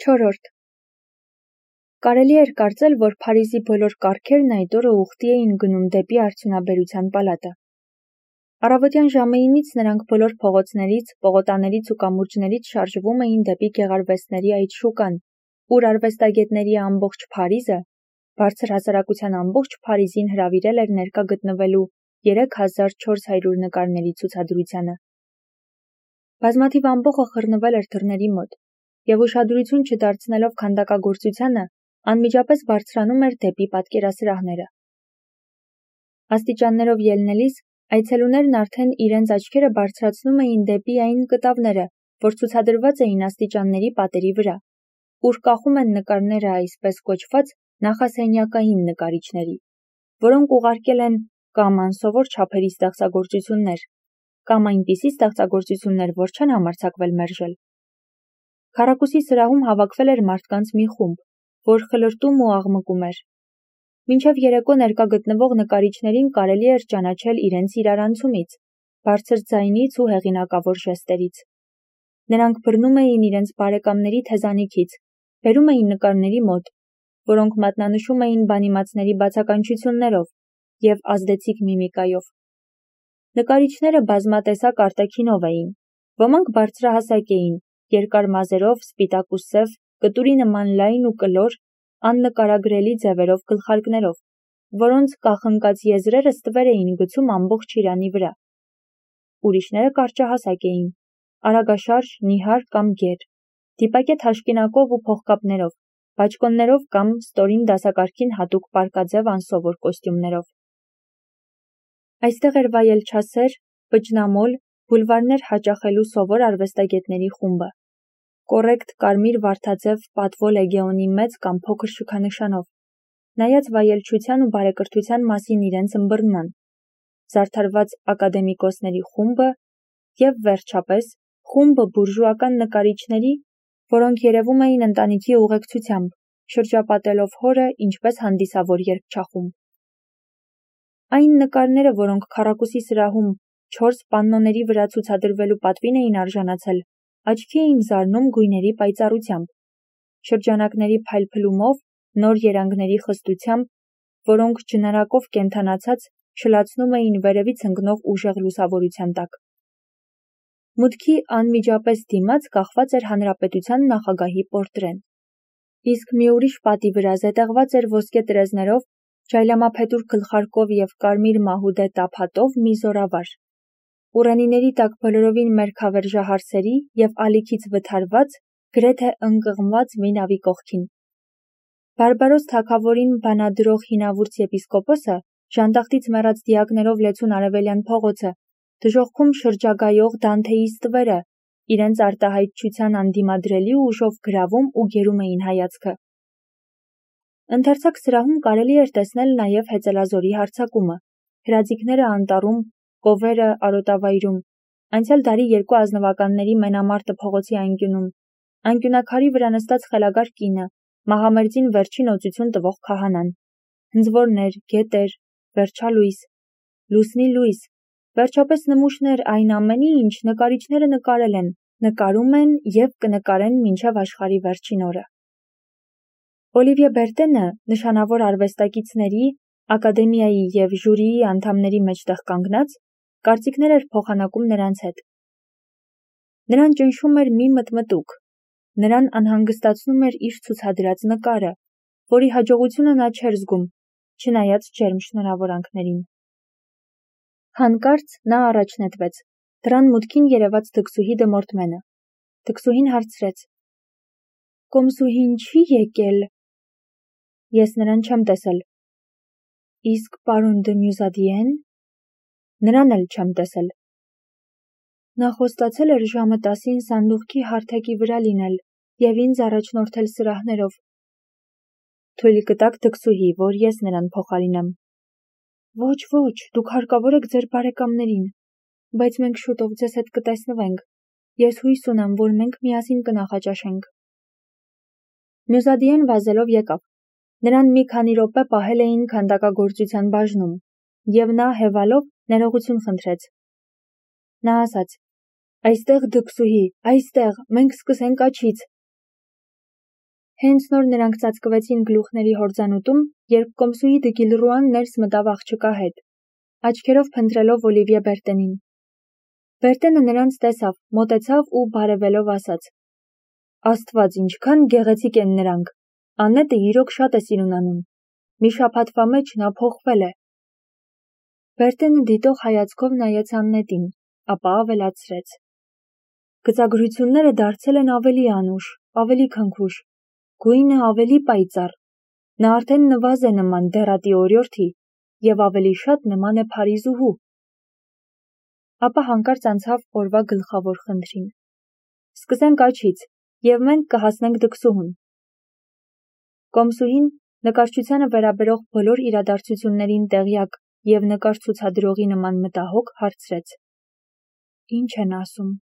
4. Կարելի էր կարծել, որ Փարիզի բոլոր կառքերն այդ օրը ուխտի էին գնում դեպի արդյունաբերության պալատը։ Առավոտյան ժամը 9-ից նրանք բոլոր փողոցներից, պողոտաներից ու կամուրջներից շարժվում էին դեպի գեղարվեստների այդ շուկան, ուր արվեստագետների ամբողջ Փարիզը, բարձր հասարակության ամբողջ Փարիզին հրավիրել էր ներկա գտնվելու 3400 նկարների ցուցադրությանը։ Բազմաթիվ ամբոխը խռնվել էր դռների մոտ, և ուշադրություն չդարձնելով քանդակագործությանը, անմիջապես բարձրանում էր դեպի պատկերասրահները։ Աստիճաններով ելնելիս այցելուներն արդեն իրենց աչքերը բարձրացնում էին դեպի այն կտավները, որ ցուցադրված էին աստիճանների պատերի վրա, ուր կախում են նկարները այսպես կոչված նախասենյակային նկարիչների, որոնք ուղարկել են կամ անսովոր չափերի ստեղծագործություններ, կամ այնպիսի ստեղծագործություններ, որ չեն համարձակվել մերժել։ Քառակուսի սրահում հավաքվել էր մարդկանց մի խումբ, որ խլրտում ու աղմկում էր։ Մինչև երեկո ներկա գտնվող նկարիչներին կարելի էր ճանաչել իրենց իրարանցումից, բարձր ձայնից ու հեղինակավոր ժեստերից։ Նրանք բռնում էին իրենց բարեկամների թեզանիքից, բերում էին նկարների մոտ, որոնք մատնանշում էին բանիմացների բացականչություններով և ազդեցիկ միմիկայով։ Նկարիչները բազմատեսակ արտաքինով էին, ոմանք բարձրահասակ էին, երկար մազերով, սպիտակ ու սև, կտուրի նման լայն ու կլոր, աննկարագրելի ձևերով գլխարկներով, որոնց կախնկած եզրերը ստվեր էին գցում ամբողջ իրանի վրա։ Ուրիշները կարճահասակ էին, արագաշարժ, նիհար կամ գեր, դիպակե թաշկինակով ու փողկապներով, բաճկոններով կամ ստորին դասակարգին հատուկ պարկաձև անսովոր կոստյումներով։ Այստեղ էր վայելչասեր, պճնամոլ, բուլվարներ հաճախելու սովոր արվեստագետների խումբը, կոռեկտ կարմիր վարդաձև պատվո լեգեոնի մեծ կամ փոքր շքանշանով, նայած վայելչության ու բարեկրթության մասին իրենց ըմբռնման, զարդարված ակադեմիկոսների խումբը և, վերջապես, խումբը բուրժուական նկարիչների, որոնք երևում էին ընտանիքի ուղեկցությամբ, շրջապատելով հորը ինչպես հանդիսավոր երգչախումբ։ Այն նկարները, որոնք քառակուսի սրահում 4 պաննոների վրա ցուցադրվելու պատվին էին արժանացել, աչքի էին զարնում գույների պայծառությամբ, շրջանակների փայլփլումով, նոր երանգների խստությամբ, որոնք ջնարակով կենդանացած շլացնում էին վերևից ընկնող ուժեղ լուսավորության տակ։ Մուտքի անմիջապես դիմաց կախված էր հանրապետության նախագահի պորտրեն, իսկ մի ուրիշ պատի վրա զետեղված էր ոսկե տրեզներով, ջայլամափետուր գլխարկով և կարմիր մահուդե տափատով մի զորավար, ուռենիների տակ բոլորովին մերքավերժահարսերի և ալիքից վթարված, գրեթե ընկղմված մի նավի կողքին։ Բարբարոս թագավորին բանադրող հինավուրց եպիսկոպոսը, ժանտախտից մեռած դիակներով լեցուն արևելյան փողոցը, դժոխքում շրջագայող Դանթեի ստվերը, իրենց արտահայտչության անդիմադրելի ուժով գրավում ու գերում էին հայացքը։ Ընդարձակ սրահում կարելի էր տեսնել նաև հեծելազորի հարձակումը, հրաձիգները անտառում, կովերը արոտավայրում, անցյալ դարի երկու ազնվականների մենամարտը փողոցի անկյունում, անկյունակարի վրա նստած խելագար կինը, մահամերձին վերջին օծություն տվող քահանան, հնձորներ, գետեր, վերջալույս, լուսնի լույս, վերջապես նմուշներ այն ամենի, ինչ նկարիչները նկարել են, նկարում են և կնկարեն մինչև աշխարհի վերջին օրը։ Օլիվիե Բերտենը, նշանավոր արվեստագետների, ակադեմիայի և ժյուրիի անդամների մեջտեղ կանգնած, կարծիքներ էր փոխանակում նրանց հետ։ Նրան ճնշում էր մի մտմտուկ, նրան անհանգստացնում էր իր ցուցադրած նկարը, որի հաջողությունը նա չէր զգում, չնայած ջերմ շնորհավորանքներին։ Հանկարծ նա առաջ նետվեց, դռան մուտքին երևաց դքսուհի դմորդմենը։ Դքսուհին հարցրեց. «Կոմսուհին չի եկել»։ Ես նրան չեմ տեսել։ Իսկ պարոն դը Մյուզադիեն։ Նրան էլ չեմ տեսել։ Նա խոստացել էր ժամը 10-ին սանդուղքի հարթակի վրա լինել և ինձ առաջնորդել սրահներով։ Թույլ կտաք դքսուհի, որ ես նրան փոխարինեմ։ Ոչ, դուք հարկավոր եք ձեր բարեկամներին, բայց մենք շուտով ձեզ հետ կտեսնվենք։ Ես հույս ունեմ, որ մենք միասին կնախաճաշենք։ Մյուզադիեն վազելով եկավ։ Նրան մի քանի րոպե պահել էին քանդակագործության բաժնում, և նա հևալով ներողություն խնդրեց։ Նա ասաց. «Այստեղ դքսուհի, այստեղ, մենք սկսենք աջից»։ Հենց նոր նրանք ծածկվեցին գլուխների հորձանուտում, երբ կոմսուհի Դգիլռուան ներս մտավ աղջկա հետ, աչքերով փնտրելով Օլիվիե Բերտենին։ Բերտենը նրանց տեսավ, մոտեցավ ու բարևելով ասաց. «Աստված, ինչքան գեղեցիկ են նրանք, Աննետը իրոք շատ է սիրուն անում, մի շաբաթվա մեջ նա փոխվել է»։ Բերտենը դիտող հայացքով նայեց Աննետին, ապա ավելացրեց. «Գծագրությունները դարձել են ավելի անուշ, ավելի քնքուշ, գույնը ավելի պայծառ, նա արդեն նվազ է նման դեռատի օրիորդի և ավելի շատ նման է Փարիզուհու»։ Ապա հանկարծ անցավ օրվա գլխավոր խնդրին. «Սկսենք աչից, և մենք կհասնենք դքսուհուն»։ Կոմսուհին, նկարչությանը վերաբերող բոլոր իրադարձություններին տեղյակ և նկար ցուցադրողի նման մտահոգ, հարցրեց. «Ինչ են ասում»։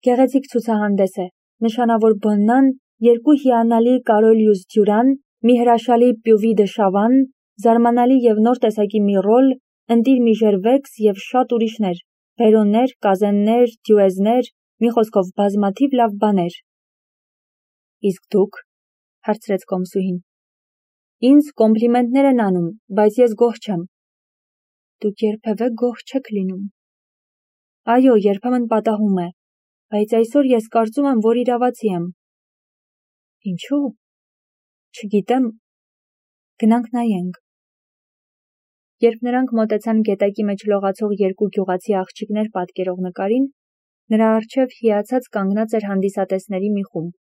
«Գեղեցիկ ցուցահանդես է, նշանավոր Բոննան, երկու հիանալի Կարոլյուս Դյուրան, մի հրաշալի Պյուվի դը Շավան, զարմանալի և նոր տեսակի մի Ռոլ, ընտիր մի Ժերվեքս և շատ ուրիշներ, Վերոններ, Կազեններ, Դյուեզներ, մի խոսքով բազմաթիվ լավ բաներ»։ «Իսկ դուք»։ հարցրեց կոմսուհին։ «Ինձ կոմպլիմենտներ են անում, բայց ես գոհ չեմ»։ «Դուք երբևէ գոհ չեք լինում»։ «Այո, երբեմն պատահում է, բայց այսօր ես կարծում եմ, որ իրավացի եմ»։ «Ինչու»։ «Չգիտեմ, գնանք նայենք»։ Երբ նրանք մոտեցան գետակի մեջ լողացող երկու գյուղացի աղջիկներ պատկերող նկարին, նրա առջև հիացած կանգնած էր հանդիսատեսների մի խումբ։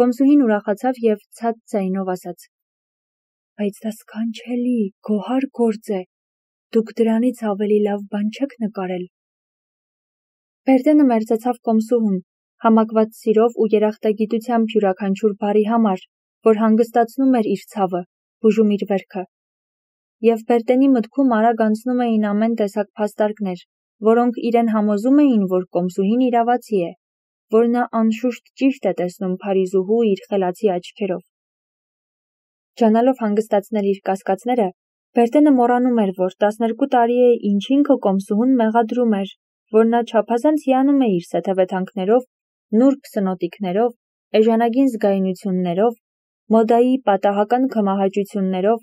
Կոմսուհին ուրախացավ և ցած ձայնով ասաց. «Բայց դա սքանչելի, գոհար գործ է, դուք դրանից ավելի լավ բան չեք նկարել»։ Բերտենը մերձեցավ կոմսուհուն, համակված սիրով ու երախտագիտությամբ յուրաքանչյուր բառի համար, որ հանգստացնում էր իր ցավը, բուժում իր վերքը։ Եվ Բերտենի մտքում արագ անցնում էին ամեն տեսակ փաստարկներ, որոնք իրեն համոզում էին, որ կոմսուհին իրավացի է, որ նա անշուշտ ճիշտ է տեսնում Փարիզուհու իր խելացի աչքերով։ Ջանալով հանգստացնել իր կասկածները, Բերտենը մոռանում էր, որ 12 տարի է, ինչ ինքը կոմսուհուն մեղադրում էր, որ նա չափազանց հիանում է իր սեթևեթանքներով, նուրբ սնոտիկներով, էժանագին զգայունություններով, մոդայի պատահական քմահաճություններով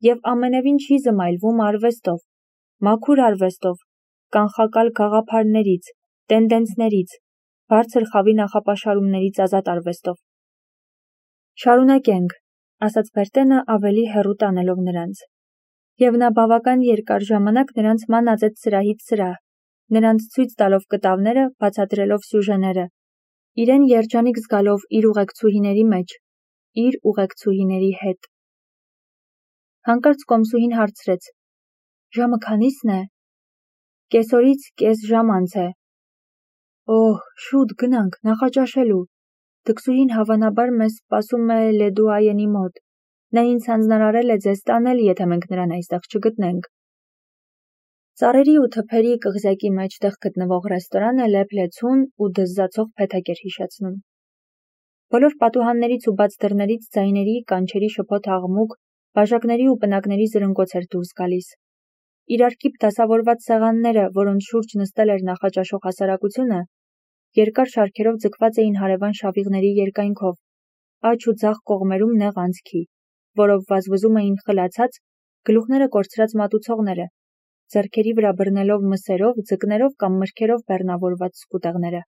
և ամենևին չի զմայլվում արվեստով, մաքուր արվեստով, կանխակալ գաղափարներից, տենդենսներից, բարձր խավի նախապաշարումներից ազատ արվեստով։ «Շարունակենք», ասաց Բերտենը ավելի հեռու տանելով նրանց։ Եվ նա բավական երկար ժամանակ նրանց մանածեց սրահից սրահ, նրանց ցույց տալով կտավները, բացատրելով սյուժեները, իրեն երջանիկ զգալով իր ուղեկցուհիների մեջ, իր ուղեկցուհիների հետ։ Հանկարծ կոմսուհին հարցրեց. «Ժամը քանի՞սն է»։ «Կեսօրից կես ժամ անց է»։ «Օհ, շուտ գնանք, նախաճաշելու։ Դքսուհին հավանաբար մեզ սպասում է Լեդուայենի մոտ։ Նա ինձ հանձնարարել է ձեզ տանել, եթե մենք նրան այստեղ չգտնենք»։ Ծառերի ու թփերի կղզյակի մեջտեղ գտնվող ռեստորանը լեփ-լեցուն ու դզզացող փեթակ էր հիշեցնում։ Բոլոր պատուհաններից ու բաց դռներից ձայների, կանչերի շփոթ աղմուկ, բաժակների ու պնակների զրնգոց էր դուրս գալիս։ Իրարքիպ դասավորված սեղանները, որոնց շուրջ նստել էր նախաճաշող հասարակությունը, երկար շարքերով ձգված էին հարևան շավիղների երկայնքով, աջ ու ձախ կողմերում նեղ անցքի, որով վազվզում էին խլացած, գլուխները կորցրած մատուցողները, ձեռքերի վրա բռնելով մսերով, ձկներով կամ մրգերով բեռնավորված սկուտեղները։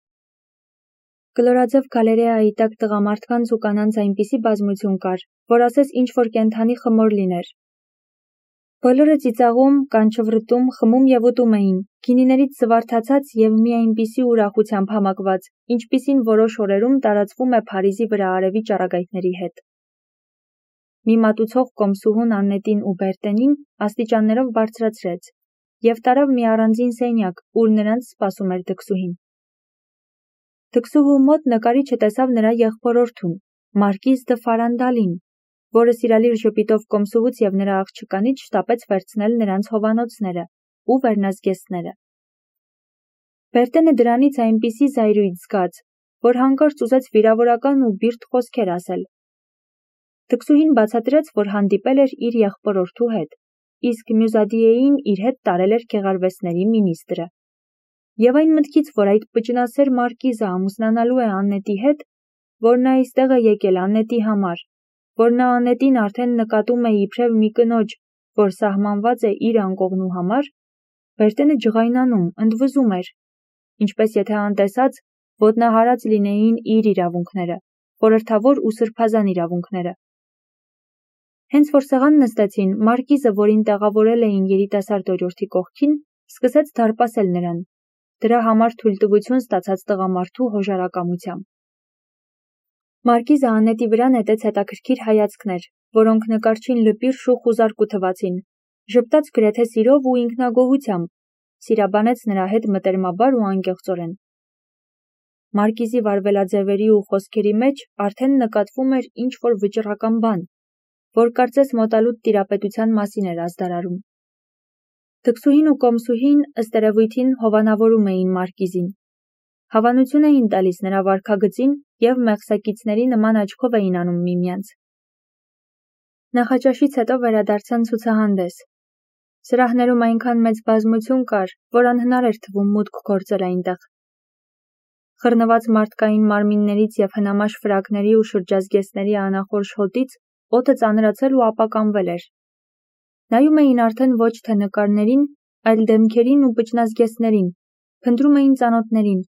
Կլորաձև գալերեայի տակ տղամարդկանց ու կանանց այնպիսի բազմություն կար, որ ասես ինչ-որ կենդանի խմոր լիներ։ Բոլորը ծիծաղում, կանչվռտում, խմում և ուտում էին, գինիներից զվարթացած և մի այնպիսի ուրախությամբ համակված, ինչպիսին որոշ օրերում տարածվում է Փարիզի վրա արևի ճառագայթների հետ։ Մի մատուցող կոմսուհուն Աննետին ու Բերտենին աստիճաններով բարձրացրեց և տարավ մի առանձին սենյակ, ուր նրանց սպասում էր դքսուհին։ Դքսուհու մոտ նկարիչը տեսավ նրա եղբորորդուն, Մարկիզ դը Ֆարանդալին, որը սիրալիր ժպիտով կոմսուհուց և նրա աղջկանից շտապեց վերցնել նրանց հովանոցները ու վերնազգեստները։ Բերտենը դրանից այնպիսի զայրույթ զգաց, որ հանկարծ ուզեց վիրավորական ու բիրտ խոսքեր ասել։ Դքսուհին բացատրեց, որ հանդիպել էր իր եղբորորդու հետ, իսկ Մյուզադիեին իր հետ տարել էր գեղարվեստների մինիստրը։ Եվ այն մտքից, որ այդ պճնասեր Մարկիզը ամուսնանալու է Աննետի հետ, որ նա այստեղ է եկել Անետի համար, որ նա Անետին արդեն նկատում է իբրև մի կնոջ, որ սահմանված է իր անկողնու համար, Բերտենը ջղայնանում, ընդվզում էր, ինչպես եթե անտեսած, ոտնահարած լինեին իր իրավունքները, խորհրդավոր ու սրբազան իրավունքները։ Հենց որ սեղան նստեցին, Մարկիզը, որին տեղավորել էին երիտասարդ օրիորդի կողքին, սկսեց դարպասել նրան, դրա համար թույլտվություն ստացած տղամարդու հոժարակամությամբ։ Մարկիզը Անետի վրա նետեց հետաքրքիր հայացքներ, որոնք նկարչին լպիրշ ու խուզարկու թվացին, ժպտաց գրեթե սիրով ու ինքնագոհությամբ, սիրաբանեց նրա հետ մտերմաբար ու անկեղծորեն։ Մարկիզի վարվելաձևերի ու խոսքերի մեջ արդեն նկատվում էր ինչ-որ վճռական բան, որ կարծես մոտալուտ տիրապետության մասին էր ազդարարում։ Թքսուհին ու կոմսուհին ըստ երևույթին հովանավորում էին Մարկիզին, հավանություն էին տալիս նրա վարքագծին և մեղսակիցների նման աչքով էին անում միմյանց։ Նախաճաշից հետո վերադարձան ցուցահանդես։ Սրահներում այնքան մեծ բազմություն կար, որ անհնար էր թվում մուտք գործել այնտեղ։ Խռնված մարդկային մարմիններից և հնամաշ ֆրակների ու շրջազգեստների անախորժ հոտից օդը ծանրացել ու ապականվել էր։ Նայում էին արդեն ոչ թե նկարներին, այլ դեմքերին ու պճնազգեստներին, փնտրում էին ծանոթներին։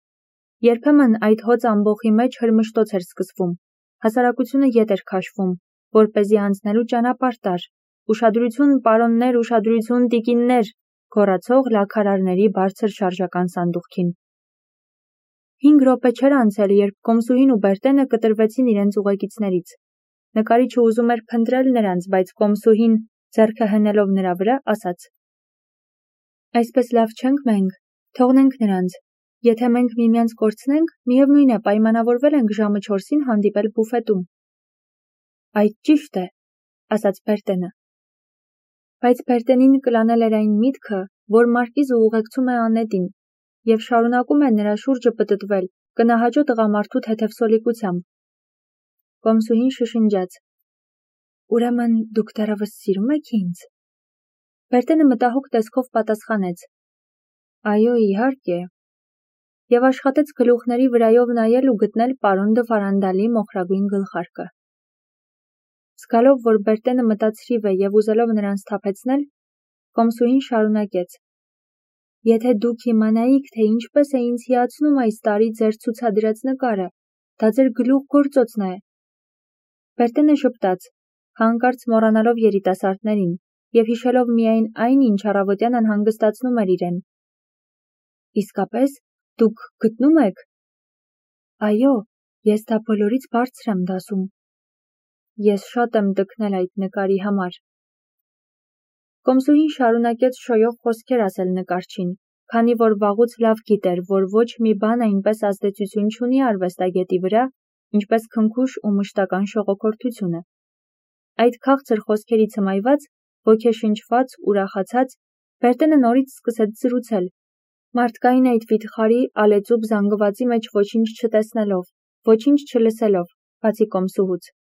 Երբեմն այդ հոծ ամբոխի մեջ հրմշտոց էր սկսվում, հասարակությունը ետ էր քաշվում, որպեսզի անցնելու ճանապարհ տար, ուշադրություն, պարոններ, ուշադրություն, տիկիններ, գոռացող լաքարարների բարձր շարժական սանդուղքին։ 5 րոպե չէր անցել, երբ կոմսուհին ու Բերտենը կտրվեցին իրենց ուղեկիցներից։ Նկարիչը ուզում էր փնտրել նրանց, բայց կոմսուհին, ձեռքը հենելով նրա վրա, ասաց. Այսպես լավ չենք մենք, թողնենք նրանց, եթե մենք միմյանց կորցնենք, միևնույն է, պայմանավորվել ենք ժամը 4-ին հանդիպել բուֆետում։ Այդ ճիշտ է, ասաց Բերտենը։ Բայց Բերտենին կլանել էր այն միտքը, որ Մարկիզը ուղեկցում է Անետին և շարունակում է նրա շուրջը պտտվել, կնահաճո տղամարդու թեթև սոլիկությամբ։ Կոմսուհին շշնջաց. Ուրեմն դուք դեռևս սիրում եք ինձ։ Բերտենը մտահոգ տեսքով պատասխանեց. Այո, իհարկե։ Եվ աշխատեց գլուխների վրայով նայել ու գտնել պարոն դը Ֆարանդալի մոխրագույն գլխարկը։ Զգալով, որ Բերտենը մտածրիվ է և ուզելով նրան սթափեցնել, կոմսուհին շարունակեց. Եթե դուք իմանայիք, թե ինչպես է ինձ հիացնում այս տարի ձեր ցուցադրած նկարը, դա ձեր գլուխ գործոցն է։ Բերտենը ժպտաց, հանկարծ մոռանալով երիտասարդներին և հիշելով միայն այն, ինչ առավոտյան անհանգստացնում էր իրեն։ Իսկապես, դուք գտնում եք։ Այո, ես դա բոլորից բարձր եմ դասում։ Ես շատ եմ տքնել այդ նկարի համար։ Կոմսուհին շարունակեց շոյող խոսքեր ասել նկարչին, քանի որ վաղուց լավ գիտեր, որ ոչ մի բան այնպես ազդեցություն չունի արվեստագետի վրա, ինչպես քնքուշ ու մշտական շողոքորթությունը։ Այդ քաղցր խոսքերից հմայված, ոգեշնչված, ուրախացած, Բերտենը նորից սկսեց զրուցել, մարդկային այդ վիթխարի, ալեծուփ զանգվածի մեջ ոչինչ չտեսնելով, ոչինչ չլսելով, բացի կոմսուհուց։